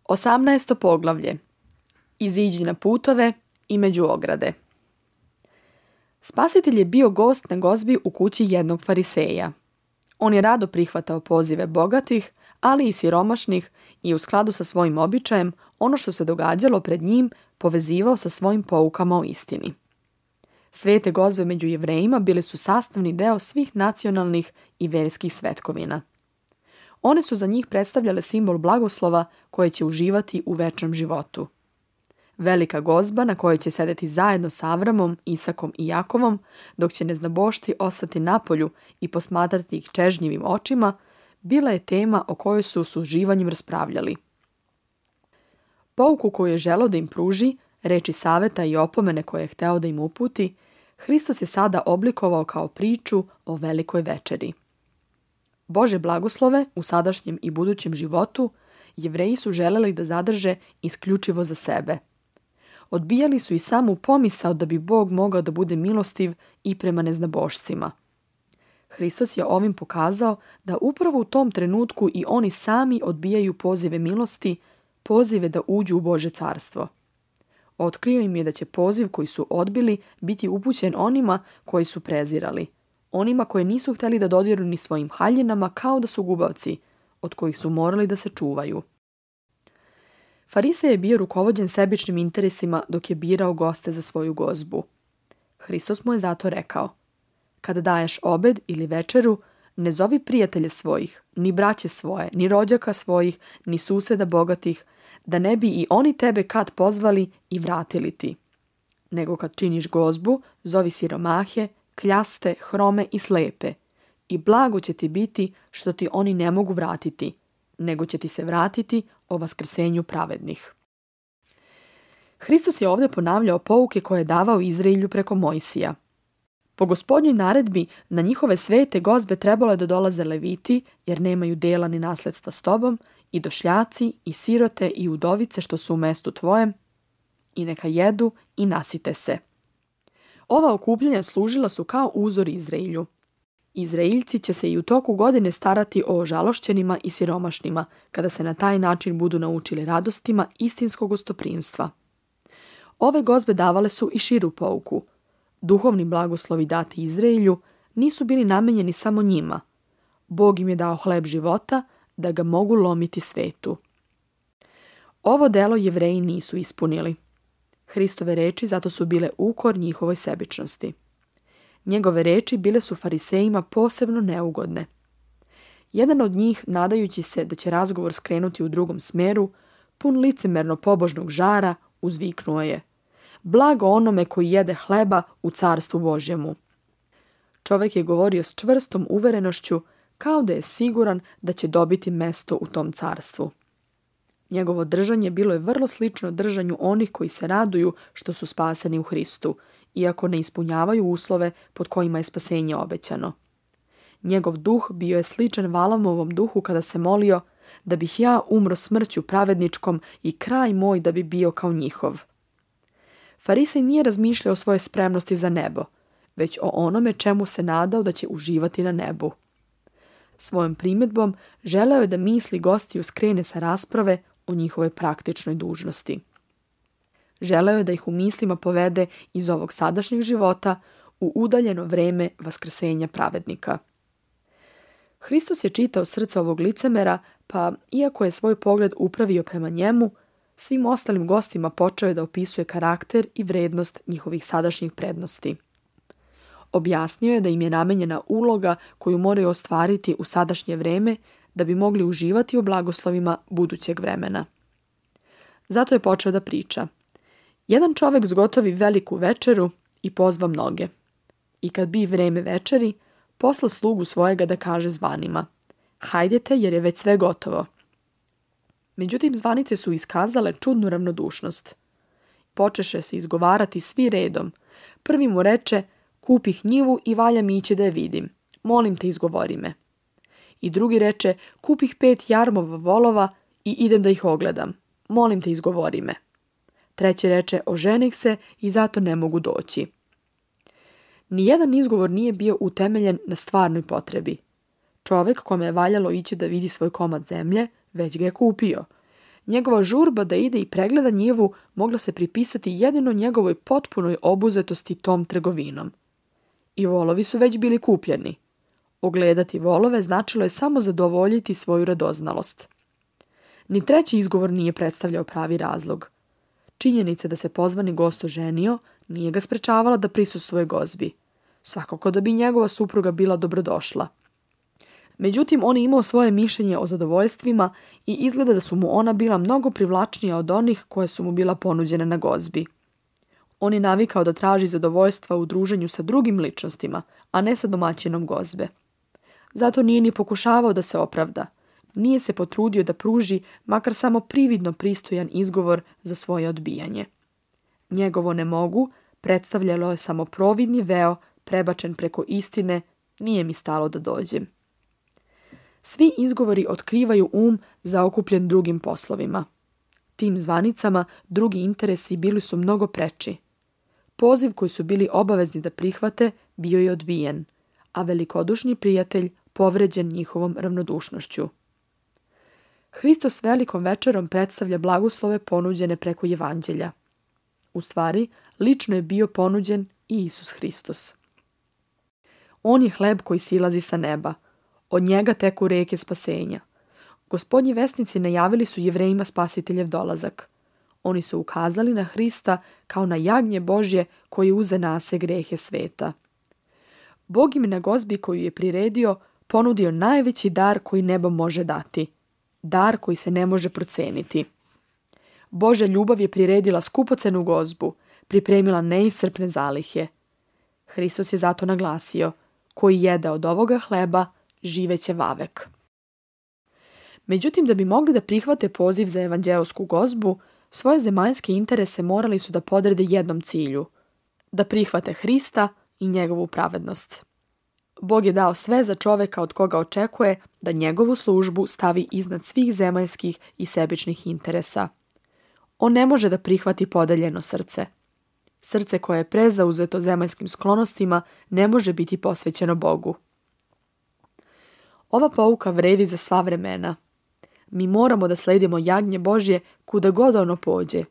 18. poglavlje. Iziđi na putove i među ograde. Spasitelj je bio gost na gozbi u kući jednog fariseja. On je rado prihvatao pozive bogatih, ali i siromašnih i u skladu sa svojim običajem ono što se događalo pred njim povezivao sa svojim poukama o istini. Svete gozbe među Jevrejima bile su sastavni deo svih nacionalnih i verskih svetkovina. One su za njih predstavljale simbol blagoslova koje će uživati u večnom životu. Velika gozba na kojoj će sedeti zajedno sa Avramom, Isakom i Jakovom, dok će neznabošci ostati napolju i posmatrati ih čežnjivim očima, bila je tema o kojoj su s uživanjem raspravljali. Pouku koju je želeo da im pruži, reči saveta i opomene koje je hteo da im uputi, Hristos je sada oblikovao kao priču o velikoj večeri. Bože blagoslove u sadašnjem i budućem životu Jevreji su želeli da zadrže isključivo za sebe. Odbijali su i samu pomisao da bi Bog mogao da bude milostiv i prema neznabošcima. Hristos je ovim pokazao da upravo u tom trenutku i oni sami odbijaju pozive milosti, pozive da uđu u Božje carstvo. Otkrio im je da će poziv koji su odbili biti upućen onima koji su prezirali, onima koji nisu htjeli da dodiru ni svojim haljinama kao da su gubavci, od kojih su morali da se čuvaju. Farisej je bio rukovođen sebičnim interesima dok je birao goste za svoju gozbu. Hristos mu je zato rekao: kada daješ obed ili večeru, ne zovi prijatelje svojih, ni braće svoje, ni rođaka svojih, ni suseda bogatih, da ne bi i oni tebe kad pozvali i vratili ti. Nego kad činiš gozbu, zovi siromahe, kljaste, hrome i slepe. I blago će ti biti što ti oni ne mogu vratiti, nego će ti se vratiti o vaskrsenju pravednih. Hristos je ovdje ponavljao pouke koje je davao Izraelju preko Mojsija. Po Gospodnjoj naredbi na njihove svete gozbe trebalo je da dolaze leviti, jer nemaju dela ni nasledstva s tobom, i došljaci, i sirote, i udovice što su u mestu tvojem, i neka jedu i nasite se. Ova okupljanja služila su kao uzor Izraelju. Izraeljci će se i u toku godine starati o ožalošćenima i siromašnima, kada se na taj način budu naučili radostima istinskog gostoprimstva. Ove gozbe davale su i širu pouku. Duhovni blagoslovi dati Izraelju nisu bili namenjeni samo njima. Bog im je dao hleb života da ga mogu lomiti svetu. Ovo delo Jevreji nisu ispunili. Hristove reči zato su bile ukor njihovoj sebičnosti. Njegove reči bile su farisejima posebno neugodne. Jedan od njih, nadajući se da će razgovor skrenuti u drugom smeru, pun licemerno pobožnog žara, uzviknuo je: blago onome koji jede hleba u carstvu Božjemu. Čovjek je govorio s čvrstom uverenošću, kao da je siguran da će dobiti mesto u tom carstvu. Njegovo držanje bilo je vrlo slično držanju onih koji se raduju što su spaseni u Hristu, iako ne ispunjavaju uslove pod kojima je spasenje obećano. Njegov duh bio je sličan Valamovom duhu kada se molio: da bih ja umro smrću pravedničkom i kraj moj da bi bio kao njihov. Farisej nije razmišljao o svojoj spremnosti za nebo, već o onome čemu se nadao da će uživati na nebu. Svojom primjedbom želeo je da misli gostiju skrene sa rasprave o njihovoj praktičnoj dužnosti. Želeo je da ih u mislima povede iz ovog sadašnjeg života u udaljeno vreme vaskrsenja pravednika. Hristos je čitao srce ovog licemera, pa iako je svoj pogled upravio prema njemu, svim ostalim gostima počeo je da opisuje karakter i vrednost njihovih sadašnjih prednosti. Objasnio je da im je namenjena uloga koju moraju ostvariti u sadašnje vreme da bi mogli uživati u blagoslovima budućeg vremena. Zato je počeo da priča: jedan čovjek zgotovi veliku večeru i pozva mnoge. I kad bi vreme večeri, posla slugu svojega da kaže zvanima: hajdete jer je već sve gotovo. Međutim, zvanice su iskazale čudnu ravnodušnost. Počeše se izgovarati svi redom. Prvi mu reče: kupih njivu i valja mi ići da je vidim. Molim te, izgovori me. I drugi reče: kupih 5 jarmova volova i idem da ih ogledam. Molim te, izgovori me. Treći reče: oženih se i zato ne mogu doći. Nijedan izgovor nije bio utemeljen na stvarnoj potrebi. Čovjek kome je valjalo ići da vidi svoj komad zemlje, već ga je kupio. Njegova žurba da ide i pregleda njivu mogla se pripisati jedino njegovoj potpunoj obuzetosti tom trgovinom. I volovi su već bili kupljeni. Ogledati volove značilo je samo zadovoljiti svoju radoznalost. Ni treći izgovor nije predstavljao pravi razlog. Činjenica da se pozvani gost oženio nije ga sprečavala da prisustvuje gozbi. Svakako da bi njegova supruga bila dobrodošla. Međutim, on je imao svoje mišljenje o zadovoljstvima i izgleda da su mu ona bila mnogo privlačnija od onih koje su mu bila ponuđene na gozbi. On je navikao da traži zadovoljstva u druženju sa drugim ličnostima, a ne sa domaćinom gozbe. Zato nije ni pokušavao da se opravda. Nije se potrudio da pruži makar samo prividno pristojan izgovor za svoje odbijanje. Njegovo ne mogu predstavljalo je samo providni veo prebačen preko istine, nije mi stalo da dođem. Svi izgovori otkrivaju zaokupljen drugim poslovima. Tim zvanicama drugi interesi bili su mnogo preči. Poziv koji su bili obavezni da prihvate bio je odbijen, a velikodušni prijatelj povređen njihovom ravnodušnošću. Hristos velikom večerom predstavlja blagoslove ponuđene preko evanđelja. U stvari, lično je bio ponuđen i Isus Hristos. On je hleb koji silazi sa neba. Od njega teku reke spasenja. Gospodnji vesnici najavili su Jevrejima spasiteljev dolazak. Oni su ukazali na Hrista kao na jagnje Božje koji uze na se grehe sveta. Bog im na gozbi koju je priredio ponudio najveći dar koji nebo može dati. Dar koji se ne može proceniti. Božja ljubav je priredila skupocenu gozbu, pripremila neiscrpne zalihe. Hristos je zato naglasio, koji jede od ovoga hleba, živeće vavek. Međutim, da bi mogli da prihvate poziv za evanđeosku gozbu, svoje zemaljske interese morali su da podrede jednom cilju, da prihvate Hrista i njegovu pravednost. Bog je dao sve za čoveka od koga očekuje da njegovu službu stavi iznad svih zemaljskih i sebičnih interesa. On ne može da prihvati podeljeno srce. Srce koje je prezauzeto zemaljskim sklonostima ne može biti posvećeno Bogu. Ova pouka vredi za sva vremena. Mi moramo da sledimo jagnje Božje kuda god ono pođe.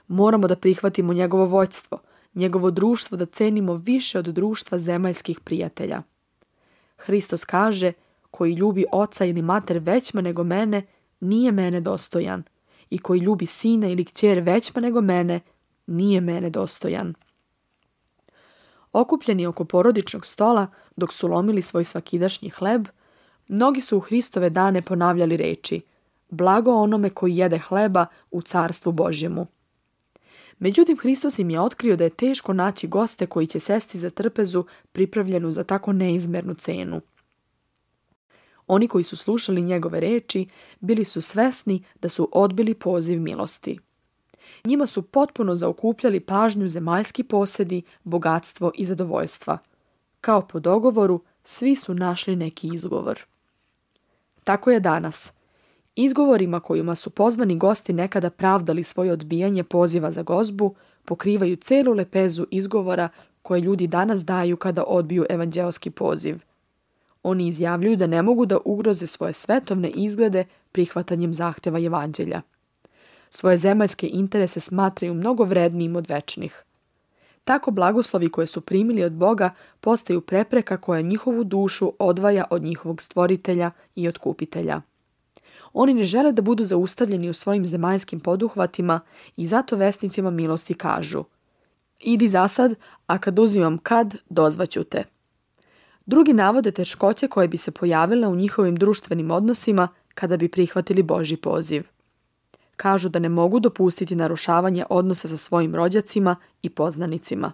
Moramo da prihvatimo njegovo vođstvo, njegovo društvo da cenimo više od društva zemaljskih prijatelja. Hristos kaže, koji ljubi oca ili mater većma nego mene, nije mene dostojan. I koji ljubi sina ili kćer većma nego mene, nije mene dostojan. Okupljeni oko porodičnog stola, dok su lomili svoj svakidašnji hleb, mnogi su u Hristove dane ponavljali reči: blago onome koji jede hleba u carstvu Božjemu. Međutim, Hristos im je otkrio da je teško naći goste koji će sesti za trpezu pripravljenu za tako neizmernu cenu. Oni koji su slušali njegove reči bili su svesni da su odbili poziv milosti. Njima su potpuno zaokupljali pažnju zemaljski posedi, bogatstvo i zadovoljstva. Kao po dogovoru, svi su našli neki izgovor. Tako je danas. Izgovorima kojima su pozvani gosti nekada pravdali svoje odbijanje poziva za gozbu, pokrivaju celu lepezu izgovora koje ljudi danas daju kada odbiju evanđeoski poziv. Oni izjavljuju da ne mogu da ugroze svoje svetovne izglede prihvatanjem zahteva evanđelja. Svoje zemaljske interese smatraju mnogo vrednijim od večnih. Tako blagoslovi koje su primili od Boga postaju prepreka koja njihovu dušu odvaja od njihovog stvoritelja i otkupitelja. Oni ne žele da budu zaustavljeni u svojim zemaljskim poduhvatima i zato vesnicima milosti kažu: idi zasad, a kad uzimam kad, dozvaću te. Drugi navode teškoće koje bi se pojavile u njihovim društvenim odnosima kada bi prihvatili Božji poziv. Kažu da ne mogu dopustiti narušavanje odnosa sa svojim rođacima i poznanicima.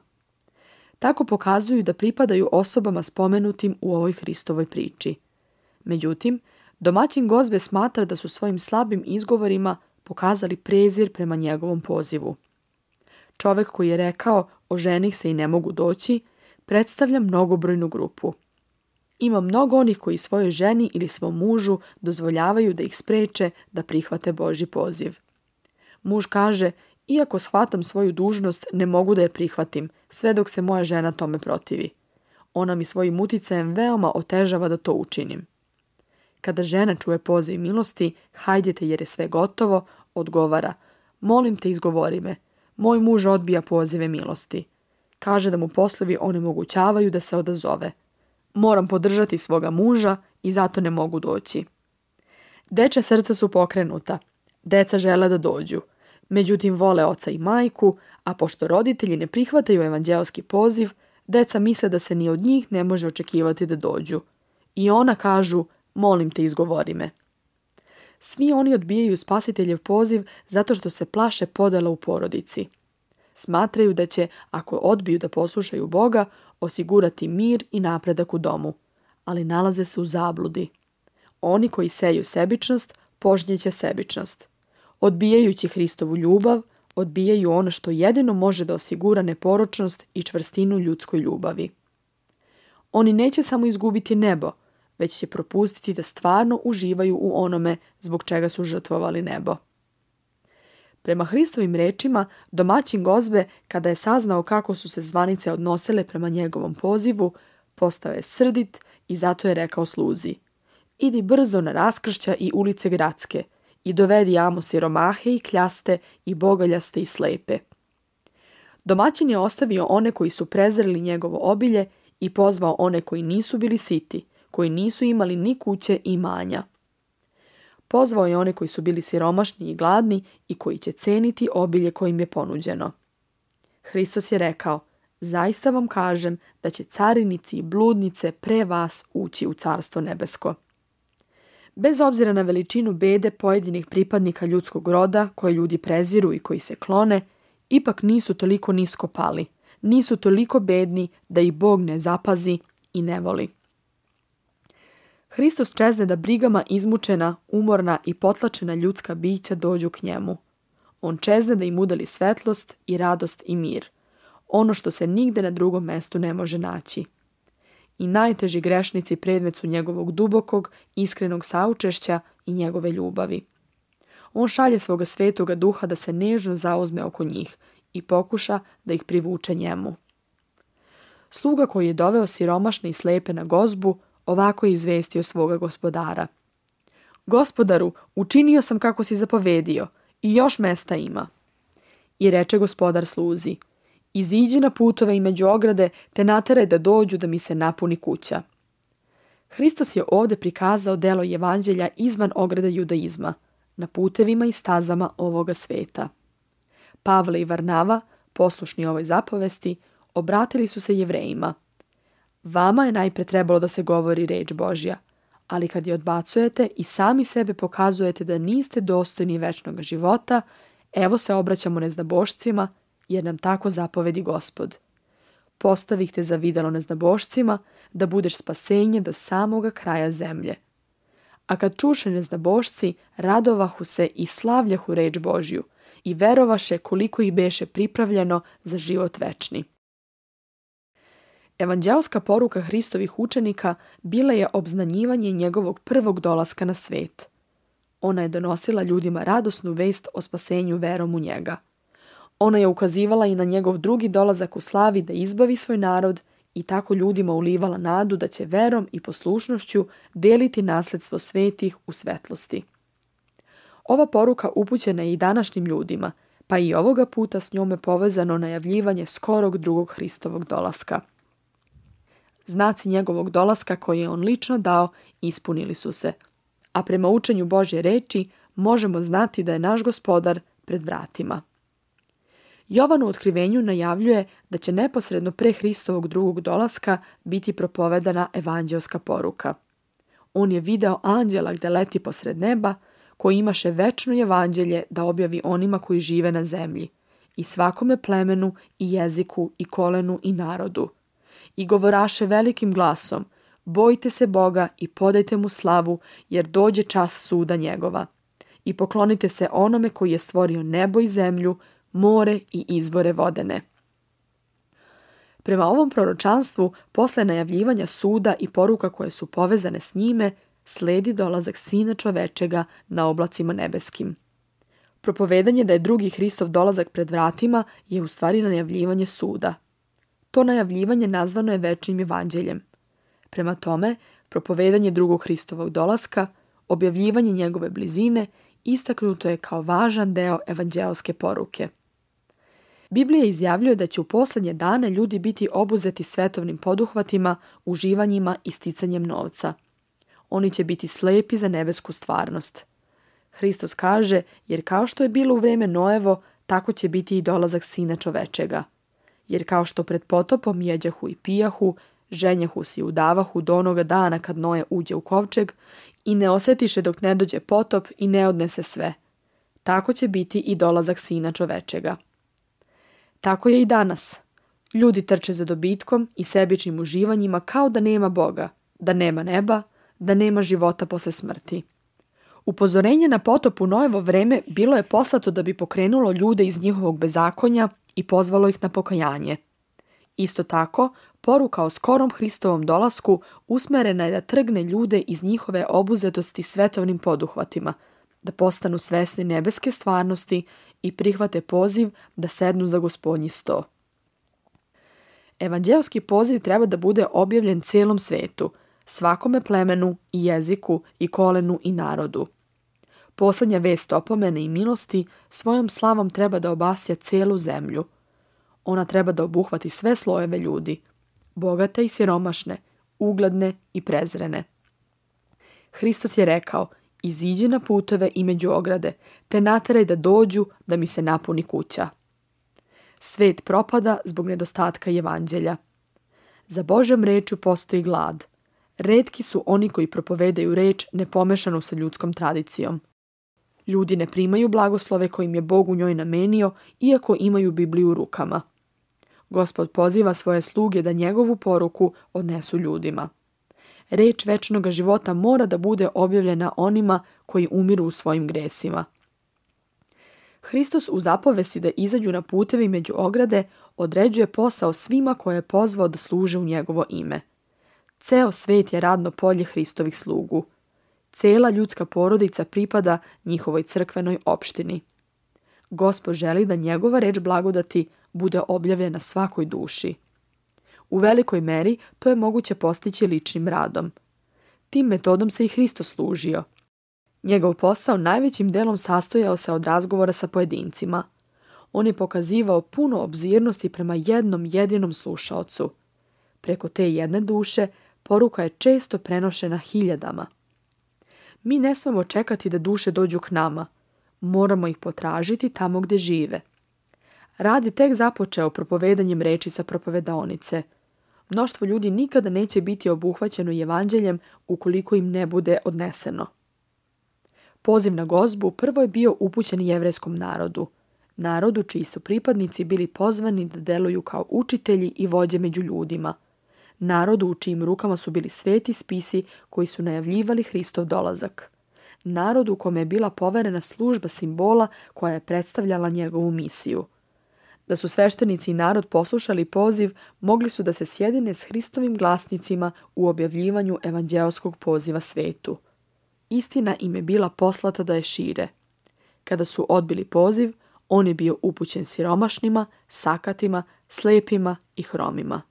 Tako pokazuju da pripadaju osobama spomenutim u ovoj Hristovoj priči. Međutim, domaćin gozbe smatra da su svojim slabim izgovorima pokazali prezir prema njegovom pozivu. Čovek koji je rekao oženih se i ne mogu doći, predstavlja mnogobrojnu grupu. Ima mnogo onih koji svojoj ženi ili svom mužu dozvoljavaju da ih spreče da prihvate Božji poziv. Muž kaže: iako shvatam svoju dužnost, ne mogu da je prihvatim, sve dok se moja žena tome protivi. Ona mi svojim uticajem veoma otežava da to učinim. Kada žena čuje poziv milosti, hajdete jer je sve gotovo, odgovara: molim te, izgovori me. Moj muž odbija pozive milosti. Kaže da mu poslovi onemogućavaju da se odazove. Moram podržati svoga muža i zato ne mogu doći. Dečja srca su pokrenuta. Deca žele da dođu. Međutim, vole oca i majku, a pošto roditelji ne prihvataju evanđeoski poziv, deca misle da se ni od njih ne može očekivati da dođu. I ona kažu: molim te, izgovori me. Svi oni odbijaju Spasiteljev poziv zato što se plaše podela u porodici. Smatraju da će, ako odbiju da poslušaju Boga, osigurati mir i napredak u domu, ali nalaze se u zabludi. Oni koji seju sebičnost, požnjeće sebičnost. Odbijajući Hristovu ljubav, odbijaju ono što jedino može da osigura neporočnost i čvrstinu ljudskoj ljubavi. Oni neće samo izgubiti nebo, već će propustiti da stvarno uživaju u onome zbog čega su žrtvovali nebo. Prema Hristovim rečima, domaćin gozbe, kada je saznao kako su se zvanice odnosile prema njegovom pozivu, postao je srdit i zato je rekao sluzi: idi brzo na raskršća i ulice gradske i dovedi amo siromahe i kljaste i bogaljaste i slepe. Domaćin je ostavio one koji su prezreli njegovo obilje i pozvao one koji nisu bili siti, koji nisu imali ni kuće i imanja. Pozvao je one koji su bili siromašni i gladni i koji će ceniti obilje kojim je ponuđeno. Hristos je rekao: zaista vam kažem da će carinici i bludnice pre vas ući u carstvo nebesko. Bez obzira na veličinu bede pojedinih pripadnika ljudskog roda koje ljudi preziru i koji se klone, ipak nisu toliko nisko pali, nisu toliko bedni da ih Bog ne zapazi i ne voli. Hristos čezne da brigama izmučena, umorna i potlačena ljudska bića dođu k njemu. On čezne da im udeli svetlost i radost i mir, ono što se nigde na drugom mestu ne može naći. I najteži grešnici predmet su njegovog dubokog, iskrenog saučešća i njegove ljubavi. On šalje svoga svetoga duha da se nežno zauzme oko njih i pokuša da ih privuče njemu. Sluga koji je doveo siromašne i slepe na gozbu, ovako je izvestio svoga gospodara: Gospodaru, učinio sam kako si zapovedio i još mesta ima. I reče gospodar sluzi: iziđi na putove i među ograde, te nateraj da dođu da mi se napuni kuća. Hristos je ovdje prikazao delo evanđelja izvan ograde judaizma, na putevima i stazama ovoga sveta. Pavle i Varnava, poslušni ovoj zapovesti, obratili su se Jevrejima. Vama je najpre trebalo da se govori reč Božja, ali kad je odbacujete i sami sebe pokazujete da niste dostojni večnog života, evo se obraćamo neznabošcima, jer nam tako zapovedi Gospod. Postavih te za videlo neznabošcima, da budeš spasenje do samoga kraja zemlje. A kad čuše neznabošci, radovahu se i slavljahu reč Božju i verovaše koliko ih beše pripravljeno za život večni. Evanđeoska poruka Hristovih učenika bila je obznanjivanje njegovog prvog dolaska na svet. Ona je donosila ljudima radosnu vest o spasenju verom u njega. Ona je ukazivala i na njegov drugi dolazak u slavi da izbavi svoj narod i tako ljudima ulivala nadu da će verom i poslušnošću deliti nasledstvo svetih u svetlosti. Ova poruka upućena je i današnjim ljudima, pa i ovoga puta s njome povezano najavljivanje skorog drugog Hristovog dolaska. Znaci njegovog dolaska koje je on lično dao ispunili su se, a prema učenju Božje reči možemo znati da je naš Gospodar pred vratima. Jovan u otkrivenju najavljuje da će neposredno pre Hristovog drugog dolaska biti propovedana evanđelska poruka. On je video anđela gde leti posred neba, koji imaše večno evanđelje da objavi onima koji žive na zemlji, i svakome plemenu, i jeziku, i kolenu, i narodu. I govoraše velikim glasom: bojte se Boga i podajte mu slavu, jer dođe čas suda njegova. I poklonite se onome koji je stvorio nebo i zemlju, more i izvore vodene. Prema ovom proročanstvu, posle najavljivanja suda i poruka koje su povezane s njime, sledi dolazak Sina čovečega na oblacima nebeskim. Propovedanje da je drugi Hristov dolazak pred vratima je u stvari najavljivanje suda. To najavljivanje nazvano je večnim evanđeljem. Prema tome, propovedanje drugog Hristovog dolaska, objavljivanje njegove blizine istaknuto je kao važan deo evanđeoske poruke. Biblija izjavljuje da će u posljednje dane ljudi biti obuzeti svetovnim poduhvatima, uživanjima i sticanjem novca. Oni će biti slepi za nebesku stvarnost. Hristos kaže, jer kao što je bilo u vrijeme Noevo, tako će biti i dolazak Sina čovečega. Jer kao što pred potopom jeđahu i pijahu, ženjahu se i udavahu do onoga dana kad Noe uđe u kovčeg i ne osjetiše dok ne dođe potop i ne odnese sve. Tako će biti i dolazak Sina čovečega. Tako je i danas. Ljudi trče za dobitkom i sebičnim uživanjima kao da nema Boga, da nema neba, da nema života posle smrti. Upozorenje na potop u Noevo vreme bilo je poslato da bi pokrenulo ljude iz njihovog bezakonja i pozvalo ih na pokajanje. Isto tako, poruka o skorom Hristovom dolasku usmerena je da trgne ljude iz njihove obuzetosti svetovnim poduhvatima, da postanu svesni nebeske stvarnosti i prihvate poziv da sednu za Gospodnji sto. Evanđeoski poziv treba da bude objavljen cijelom svetu, svakome plemenu i jeziku i kolenu i narodu. Posljednja vest opomene i milosti svojom slavom treba da obasja cijelu zemlju. Ona treba da obuhvati sve slojeve ljudi, bogate i siromašne, ugledne i prezrene. Hristos je rekao, iziđi na puteve i među ograde, te nateraj da dođu da mi se napuni kuća. Svet propada zbog nedostatka evanđelja. Za Božjom rečju postoji glad. Retki su oni koji propovedaju reč nepomešanu sa ljudskom tradicijom. Ljudi ne primaju blagoslove kojim je Bog u njoj namenio, iako imaju Bibliju u rukama. Gospod poziva svoje sluge da njegovu poruku odnesu ljudima. Reč večnog života mora da bude objavljena onima koji umiru u svojim gresima. Hristos u zapovesti da izađu na putevi među ograde određuje posao svima koje je pozvao da služe u njegovo ime. Ceo svet je radno polje Hristovih slugu. Cela ljudska porodica pripada njihovoj crkvenoj opštini. Gospod želi da njegova reč blagodati bude objavljena svakoj duši. U velikoj meri to je moguće postići ličnim radom. Tim metodom se i Hristos služio. Njegov posao najvećim delom sastojao se od razgovora sa pojedincima. On je pokazivao puno obzirnosti prema jednom jedinom slušaocu. Preko te jedne duše poruka je često prenošena hiljadama. Mi ne smemo čekati da duše dođu k nama. Moramo ih potražiti tamo gdje žive. Rad je tek započeo propovedanjem reči sa propovedaonice. Mnoštvo ljudi nikada neće biti obuhvaćeno evanđeljem ukoliko im ne bude odneseno. Poziv na gozbu prvo je bio upućen jevrejskom narodu. Narodu čiji su pripadnici bili pozvani da deluju kao učitelji i vođe među ljudima. Narodu u čijim rukama su bili sveti spisi koji su najavljivali Hristov dolazak. Narodu kome je bila poverena služba simbola koja je predstavljala njegovu misiju. Da su sveštenici i narod poslušali poziv, mogli su da se sjedine s Hristovim glasnicima u objavljivanju evanđeoskog poziva svetu. Istina im je bila poslata da je šire. Kada su odbili poziv, on je bio upućen siromašnima, sakatima, slepima i hromima.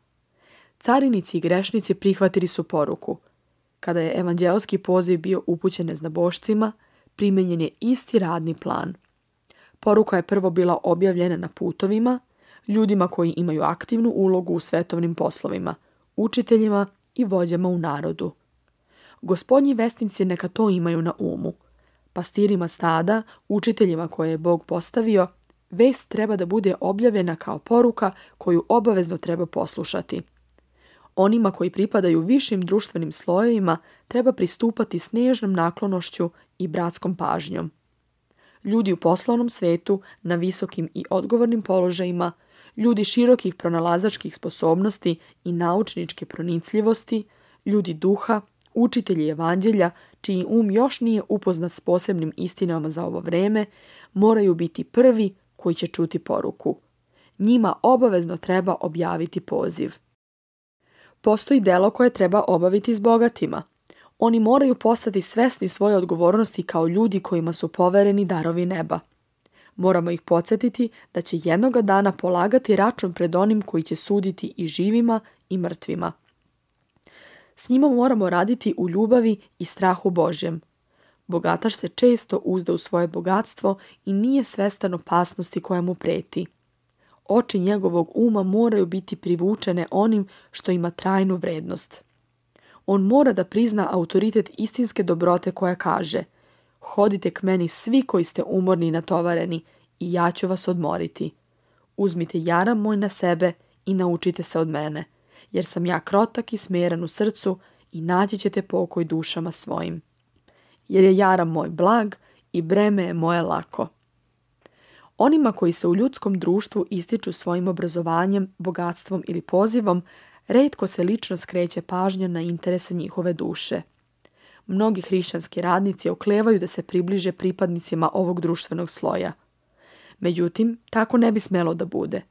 Carinici i grešnici prihvatili su poruku. Kada je evanđeoski poziv bio upućen neznabošcima, primenjen je isti radni plan. Poruka je prvo bila objavljena na putovima, ljudima koji imaju aktivnu ulogu u svetovnim poslovima, učiteljima i vođama u narodu. Gospodnji vestnici neka to imaju na umu. Pastirima stada, učiteljima koje je Bog postavio, vest treba da bude objavljena kao poruka koju obavezno treba poslušati. Onima koji pripadaju višim društvenim slojevima treba pristupati s nežnom naklonošću i bratskom pažnjom. Ljudi u poslovnom svetu, na visokim i odgovornim položajima, ljudi širokih pronalazačkih sposobnosti i naučničke pronicljivosti, ljudi duha, učitelji evanđelja, čiji um još nije upoznat s posebnim istinama za ovo vreme, moraju biti prvi koji će čuti poruku. Njima obavezno treba objaviti poziv. Postoji delo koje treba obaviti s bogatima. Oni moraju postati svesni svoje odgovornosti kao ljudi kojima su povereni darovi neba. Moramo ih podsjetiti da će jednoga dana polagati račun pred onim koji će suditi i živima i mrtvima. S njima moramo raditi u ljubavi i strahu Božjem. Bogataš se često uzda u svoje bogatstvo i nije svestan opasnosti koja mu preti. Oči njegovog uma moraju biti privučene onim što ima trajnu vrednost. On mora da prizna autoritet istinske dobrote koja kaže: hodite k meni svi koji ste umorni i natovareni i ja ću vas odmoriti. Uzmite jaram moj na sebe i naučite se od mene, jer sam ja krotak i smiren u srcu i naći ćete pokoj dušama svojim. Jer je jaram moj blag i breme je moje lako. Onima koji se u ljudskom društvu ističu svojim obrazovanjem, bogatstvom ili pozivom, retko se lično skreće pažnja na interese njihove duše. Mnogi hrišćanski radnici oklevaju da se približe pripadnicima ovog društvenog sloja. Međutim, tako ne bi smelo da bude.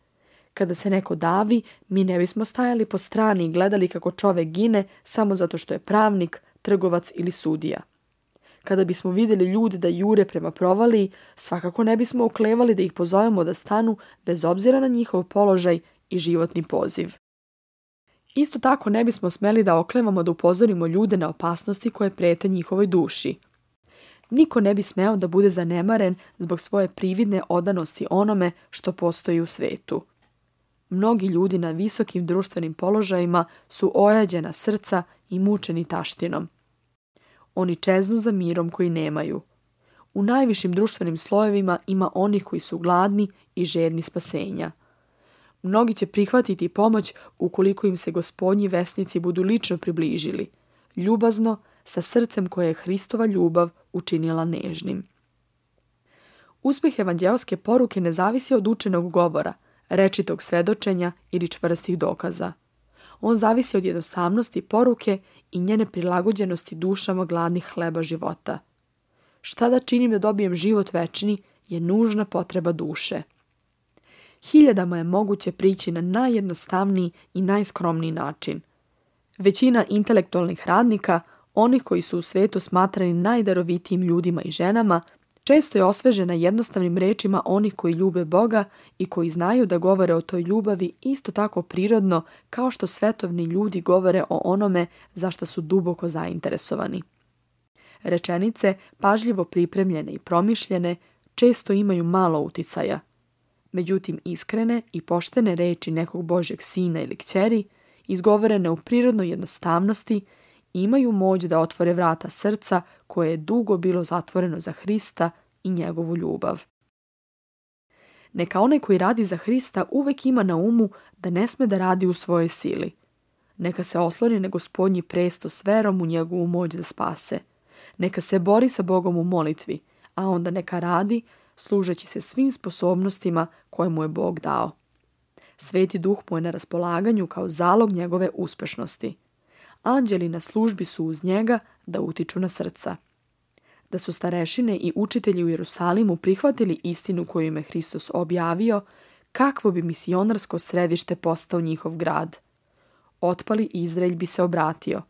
Kada se neko davi, mi ne bismo stajali po strani i gledali kako čovek gine samo zato što je pravnik, trgovac ili sudija. Kada bismo vidjeli ljude da jure prema provaliji, svakako ne bismo oklevali da ih pozovemo da stanu bez obzira na njihov položaj i životni poziv. Isto tako ne bismo smeli da oklevamo da upozorimo ljude na opasnosti koje prete njihovoj duši. Niko ne bi smeo da bude zanemaren zbog svoje prividne odanosti onome što postoji u svetu. Mnogi ljudi na visokim društvenim položajima su ojađena srca i mučeni taštinom. Oni čeznu za mirom koji nemaju. U najvišim društvenim slojevima ima onih koji su gladni i žedni spasenja. Mnogi će prihvatiti pomoć ukoliko im se gospodnji vesnici budu lično približili, ljubazno, sa srcem koje je Hristova ljubav učinila nežnim. Uspjeh evanđeoske poruke ne zavisi od učenog govora, rečitog svedočenja ili čvrstih dokaza. On zavisi od jednostavnosti poruke i njene prilagođenosti dušama gladnih hleba života. Šta da činim da dobijem život večni je nužna potreba duše. Hiljadama je moguće prići na najjednostavniji i najskromniji način. Većina intelektualnih radnika, onih koji su u svetu smatrani najdarovitijim ljudima i ženama, često je osvežena jednostavnim rečima onih koji ljube Boga i koji znaju da govore o toj ljubavi isto tako prirodno kao što svetovni ljudi govore o onome za što su duboko zainteresovani. Rečenice, pažljivo pripremljene i promišljene, često imaju malo uticaja. Međutim, iskrene i poštene reči nekog Božjeg sina ili kćeri, izgovorene u prirodnoj jednostavnosti, imaju moć da otvore vrata srca koje je dugo bilo zatvoreno za Hrista i njegovu ljubav. Neka onaj koji radi za Hrista uvek ima na umu da ne sme da radi u svojoj sili. Neka se osloni na Gospodnji presto s verom u njegovu moć da spase. Neka se bori sa Bogom u molitvi, a onda neka radi služeći se svim sposobnostima koje mu je Bog dao. Sveti Duh mu je na raspolaganju kao zalog njegove uspešnosti. Anđeli na službi su uz njega da utiču na srca. Da su starešine i učitelji u Jerusalimu prihvatili istinu koju im je Hristos objavio, kakvo bi misionarsko središte postao njihov grad. Otpali Izraelj bi se obratio.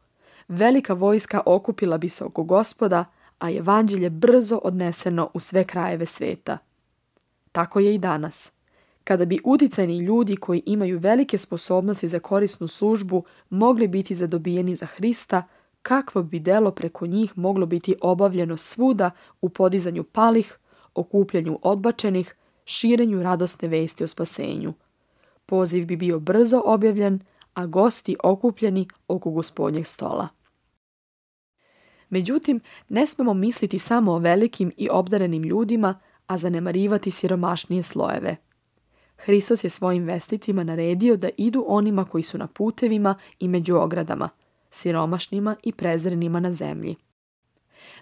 Velika vojska okupila bi se oko Gospoda, a evanđelje brzo odneseno u sve krajeve sveta. Tako je i danas. Kada bi uticajni ljudi koji imaju velike sposobnosti za korisnu službu mogli biti zadobijeni za Hrista, kakvo bi delo preko njih moglo biti obavljeno svuda u podizanju palih, okupljanju odbačenih, širenju radosne vesti o spasenju. Poziv bi bio brzo objavljen, a gosti okupljeni oko Gospodnjeg stola. Međutim, ne smemo misliti samo o velikim i obdarenim ljudima, a zanemarivati siromašnije slojeve. Hristos je svojim vesticima naredio da idu onima koji su na putevima i među ogradama, siromašnima i prezrenima na zemlji.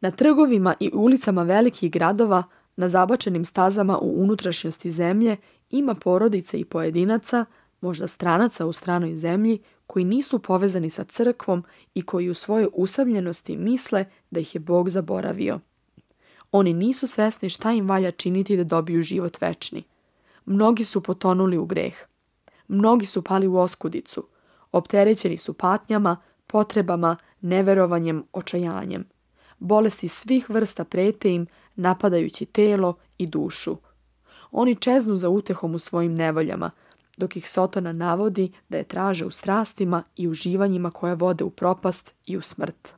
Na trgovima i ulicama velikih gradova, na zabačenim stazama u unutrašnjosti zemlje, ima porodice i pojedinaca, možda stranaca u stranoj zemlji, koji nisu povezani sa crkvom i koji u svojoj usamljenosti misle da ih je Bog zaboravio. Oni nisu svesni šta im valja činiti da dobiju život večni. Mnogi su potonuli u greh. Mnogi su pali u oskudicu. Opterećeni su patnjama, potrebama, neverovanjem, očajanjem. Bolesti svih vrsta prete im, napadajući telo i dušu. Oni čeznu za utehom u svojim nevoljama, dok ih Sotona navodi da je traže u strastima i uživanjima koje vode u propast i u smrt.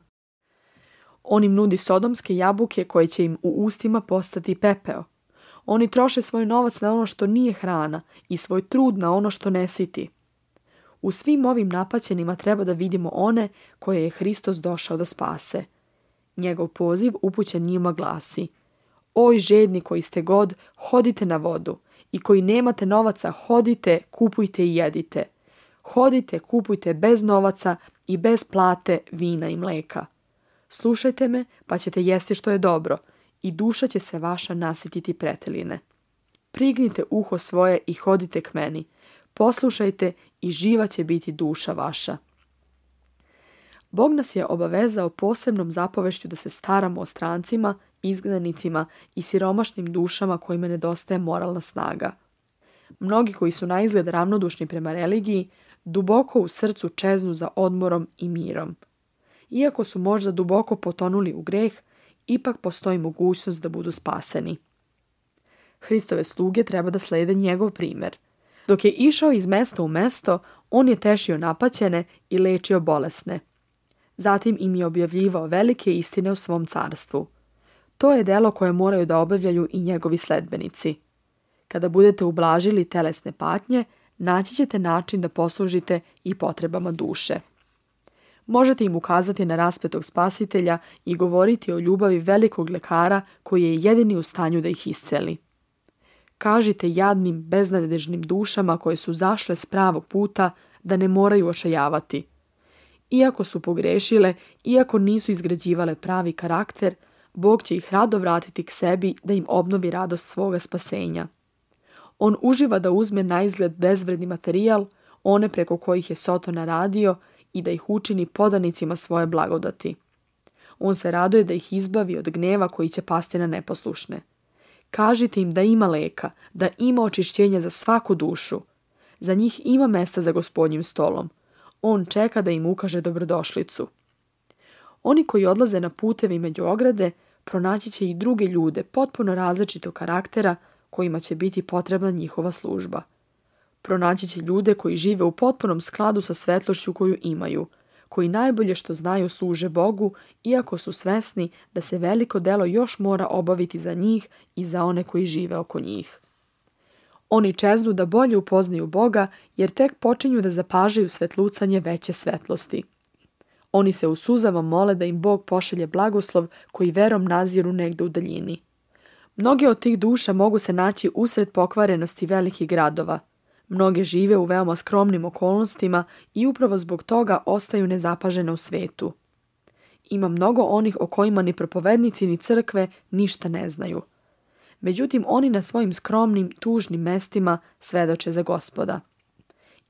On im nudi sodomske jabuke koje će im u ustima postati pepeo. Oni troše svoj novac na ono što nije hrana i svoj trud na ono što ne siti. U svim ovim napaćenima treba da vidimo one koje je Hristos došao da spase. Njegov poziv upućen njima glasi: Oj žedni koji ste god, hodite na vodu, i koji nemate novaca, hodite, kupujte i jedite. Hodite, kupujte bez novaca i bez plate vina i mleka. Slušajte me, pa ćete jesti što je dobro, i duša će se vaša nasititi preteline. Prignite uho svoje i hodite k meni. Poslušajte i živa će biti duša vaša. Bog nas je obavezao posebnom zapovešću da se staramo o strancima, izgnanicima i siromašnim dušama kojima nedostaje moralna snaga. Mnogi koji su naizgled ravnodušni prema religiji, duboko u srcu čeznu za odmorom i mirom. Iako su možda duboko potonuli u greh, ipak postoji mogućnost da budu spaseni. Hristove sluge treba da slede njegov primjer. Dok je išao iz mesta u mesto, on je tešio napaćene i lečio bolesne. Zatim im je objavljivao velike istine u svom carstvu. To je delo koje moraju da obavljaju i njegovi sledbenici. Kada budete ublažili telesne patnje, naći ćete način da poslužite i potrebama duše. Možete im ukazati na raspetog spasitelja i govoriti o ljubavi velikog lekara koji je jedini u stanju da ih isceli. Kažite jadnim, beznadežnim dušama koje su zašle s pravog puta da ne moraju očajavati. Iako su pogrešile, iako nisu izgrađivale pravi karakter, Bog će ih rado vratiti k sebi da im obnovi radost svoga spasenja. On uživa da uzme naizgled bezvredni materijal, one preko kojih je Sotona radio, i da ih učini podanicima svoje blagodati. On se raduje da ih izbavi od gneva koji će pasti na neposlušne. Kažite im da ima leka, da ima očišćenja za svaku dušu. Za njih ima mesta za Gospodnjim stolom. On čeka da im ukaže dobrodošlicu. Oni koji odlaze na putevi među ograde, pronaći će i druge ljude potpuno različitog karaktera kojima će biti potrebna njihova služba. Pronaći će ljude koji žive u potpunom skladu sa svetlošću koju imaju, koji najbolje što znaju služe Bogu, iako su svesni da se veliko delo još mora obaviti za njih i za one koji žive oko njih. Oni čeznu da bolje upoznaju Boga, jer tek počinju da zapažaju svetlucanje veće svetlosti. Oni se u suzama mole da im Bog pošalje blagoslov koji verom naziru negde u daljini. Mnoge od tih duša mogu se naći usred pokvarenosti velikih gradova. Mnoge žive u veoma skromnim okolnostima i upravo zbog toga ostaju nezapažene u svetu. Ima mnogo onih o kojima ni propovednici ni crkve ništa ne znaju. Međutim, oni na svojim skromnim, tužnim mestima svedoče za Gospoda.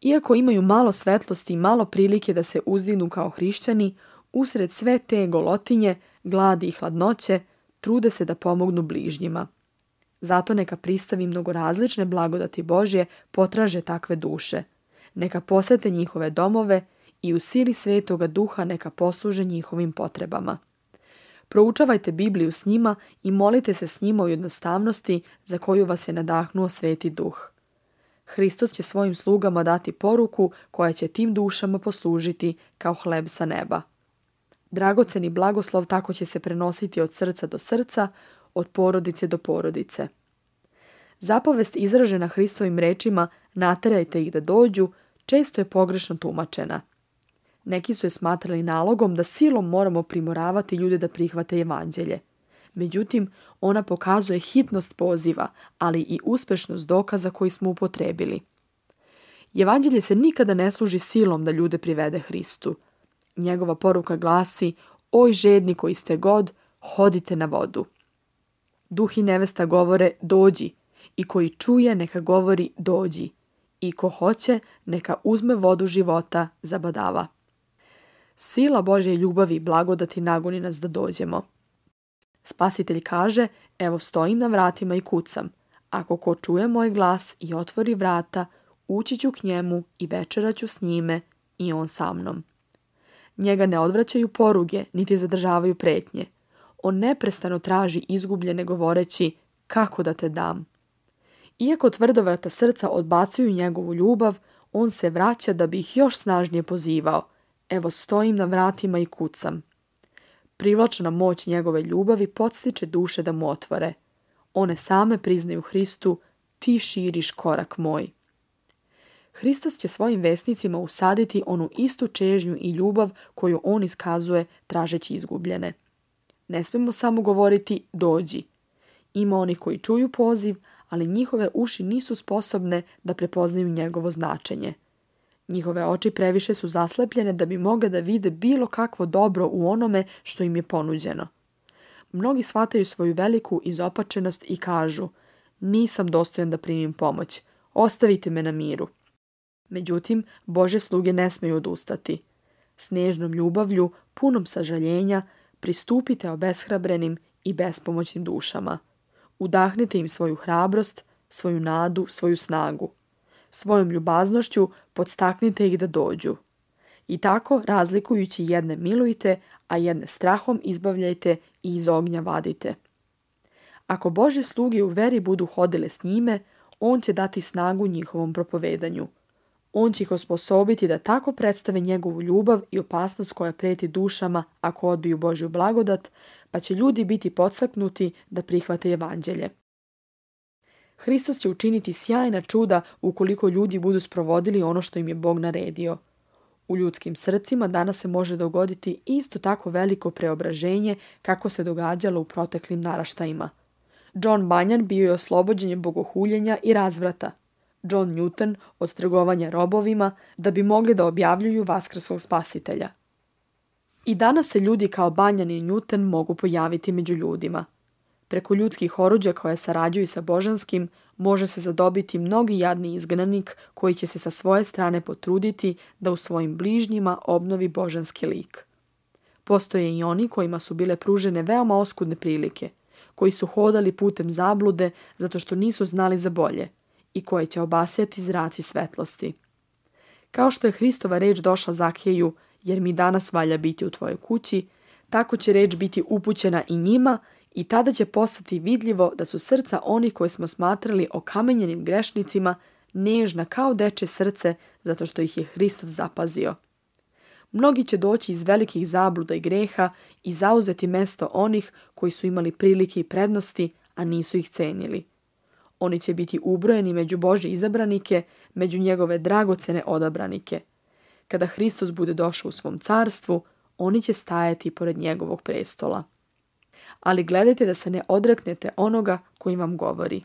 Iako imaju malo svetlosti i malo prilike da se uzdignu kao hrišćani, usred sve te golotinje, gladi i hladnoće, trude se da pomognu bližnjima. Zato neka pristavi mnogorazlične blagodati Božje potraže takve duše. Neka posete njihove domove i u sili Svetoga Duha neka posluže njihovim potrebama. Proučavajte Bibliju s njima i molite se s njima u jednostavnosti za koju vas je nadahnuo Sveti Duh. Hristos će svojim slugama dati poruku koja će tim dušama poslužiti kao hleb sa neba. Dragoceni blagoslov tako će se prenositi od srca do srca, od porodice do porodice. Zapovest izražena Hristovim rečima naterajte ih da dođu, često je pogrešno tumačena. Neki su je smatrali nalogom da silom moramo primoravati ljude da prihvate evanđelje. Međutim, ona pokazuje hitnost poziva, ali i uspešnost dokaza koji smo upotrebili. Evanđelje se nikada ne služi silom da ljude privede Hristu. Njegova poruka glasi: oj žedni koji ste god, hodite na vodu. Duh i nevesta govore dođi, i koji čuje neka govori dođi, i ko hoće neka uzme vodu života zabadava. Sila Božje ljubavi i blagodati nagoni nas da dođemo. Spasitelj kaže: evo stojim na vratima i kucam. Ako ko čuje moj glas i otvori vrata, ući ću k njemu i večerat ću s njime i on sa mnom. Njega ne odvraćaju poruge, niti zadržavaju pretnje. On neprestano traži izgubljene govoreći: kako da te dam? Iako tvrdovrata srca odbacuju njegovu ljubav, on se vraća da bi ih još snažnije pozivao: evo stojim na vratima i kucam. Privlačna moć njegove ljubavi podstiče duše da mu otvore. One same priznaju Hristu, ti širiš korak moj. Hristos će svojim vesnicima usaditi onu istu čežnju i ljubav koju on iskazuje tražeći izgubljene. Ne smemo samo govoriti dođi. Ima onih koji čuju poziv, ali njihove uši nisu sposobne da prepoznaju njegovo značenje. Njihove oči previše su zaslepljene da bi mogle da vide bilo kakvo dobro u onome što im je ponuđeno. Mnogi shvataju svoju veliku izopačenost i kažu: nisam dostojan da primim pomoć, ostavite me na miru. Međutim, Božje sluge ne smeju odustati. S nežnom ljubavlju, punom sažaljenja, pristupite obeshrabrenim i bespomoćnim dušama. Udahnite im svoju hrabrost, svoju nadu, svoju snagu. Svojom ljubaznošću podstaknite ih da dođu. I tako, razlikujući jedne milujte, a jedne strahom izbavljajte i iz ognja vadite. Ako Božje sluge u veri budu hodile s njime, on će dati snagu njihovom propovedanju. On će ih osposobiti da tako predstave njegovu ljubav i opasnost koja preti dušama ako odbiju Božju blagodat, pa će ljudi biti podstaknuti da prihvate evanđelje. Hristos će učiniti sjajna čuda ukoliko ljudi budu sprovodili ono što im je Bog naredio. U ljudskim srcima danas se može dogoditi isto tako veliko preobraženje kako se događalo u proteklim naraštajima. John Bunyan bio je oslobođen bogohuljenja i razvrata. John Newton od trgovanja robovima da bi mogli da objavljuju vaskrskog spasitelja. I danas se ljudi kao Bunyan i Newton mogu pojaviti među ljudima. Preko ljudskih oruđa koje sarađuju sa božanskim može se zadobiti mnogi jadni izgnanik koji će se sa svoje strane potruditi da u svojim bližnjima obnovi božanski lik. Postoje i oni kojima su bile pružene veoma oskudne prilike, koji su hodali putem zablude zato što nisu znali za bolje i koje će obasjati zraci svetlosti. Kao što je Hristova reč došla Zakeju, jer mi danas valja biti u tvojoj kući, tako će reč biti upućena i njima i tada će postati vidljivo da su srca onih koje smo smatrali okamenjenim grešnicima nežna kao dečje srce zato što ih je Hristos zapazio. Mnogi će doći iz velikih zabluda i greha i zauzeti mesto onih koji su imali prilike i prednosti, a nisu ih cenili. Oni će biti ubrojeni među Božje izabranike, među njegove dragocene odabranike. Kada Hristos bude došao u svom carstvu, oni će stajati pored njegovog prestola. Ali gledajte da se ne odreknete onoga koji vam govori.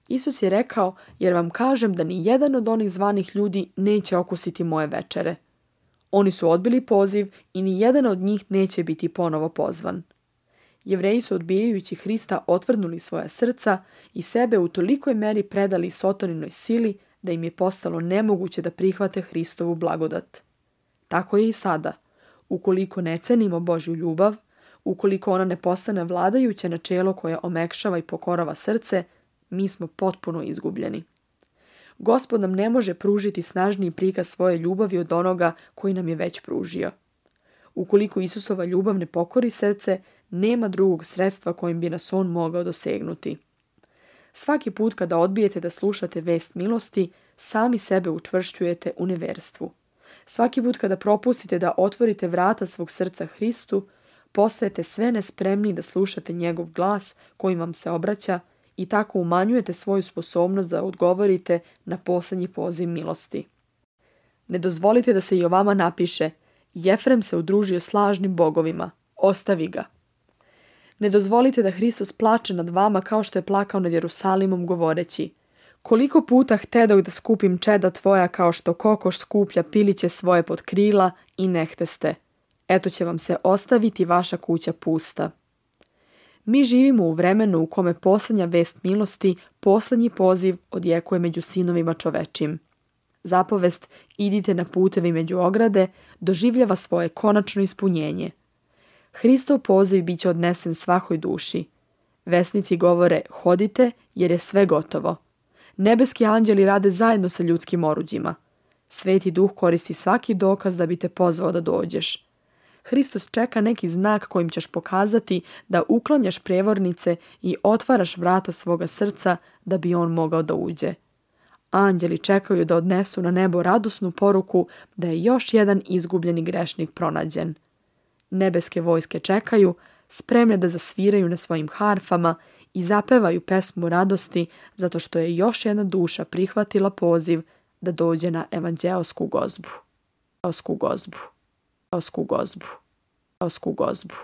Isus je rekao, jer vam kažem da ni jedan od onih zvanih ljudi neće okusiti moje večere. Oni su odbili poziv i ni jedan od njih neće biti ponovo pozvan. Jevreji su odbijajući Hrista otvrdnuli svoja srca i sebe u tolikoj meri predali sotoninoj sili da im je postalo nemoguće da prihvate Hristovu blagodat. Tako je i sada. Ukoliko ne cenimo Božju ljubav, ukoliko ona ne postane vladajuće načelo koje omekšava i pokorava srce, mi smo potpuno izgubljeni. Gospod nam ne može pružiti snažniji prikaz svoje ljubavi od onoga koji nam je već pružio. Ukoliko Isusova ljubav ne pokori srce, nema drugog sredstva kojim bi nas on mogao dosegnuti. Svaki put kada odbijete da slušate vest milosti, sami sebe učvršćujete u neverstvu. Svaki put kada propustite da otvorite vrata svog srca Hristu, postajete sve nespremni da slušate njegov glas kojim vam se obraća i tako umanjujete svoju sposobnost da odgovorite na posljednji poziv milosti. Ne dozvolite da se i o vama napiše: Jefrem se udružio s lažnim bogovima, ostavi ga. Ne dozvolite da Hristos plače nad vama kao što je plakao nad Jerusalimom govoreći: koliko puta htedoh da skupim čeda tvoja kao što kokoš skuplja piliće svoje pod krila i ne hteste. Eto će vam se ostaviti vaša kuća pusta. Mi živimo u vremenu u kome posljednja vest milosti, posljednji poziv odjekuje među sinovima čovečim. Zapovest idite na putevi među ograde doživljava svoje konačno ispunjenje. Hristov poziv bit će odnesen svakoj duši. Vesnici govore hodite jer je sve gotovo. Nebeski anđeli rade zajedno sa ljudskim oruđima. Sveti Duh koristi svaki dokaz da bi te pozvao da dođeš. Hristos čeka neki znak kojim ćeš pokazati da uklanjaš prevornice i otvaraš vrata svoga srca da bi on mogao da uđe. Anđeli čekaju da odnesu na nebo radosnu poruku da je još jedan izgubljeni grešnik pronađen. nebeske vojske čekaju, spremne da zasviraju na svojim harfama i zapevaju pesmu radosti zato što je još jedna duša prihvatila poziv da dođe na evanđeosku gozbu. Gozbu. Gozbu. Gozbu. Gozbu.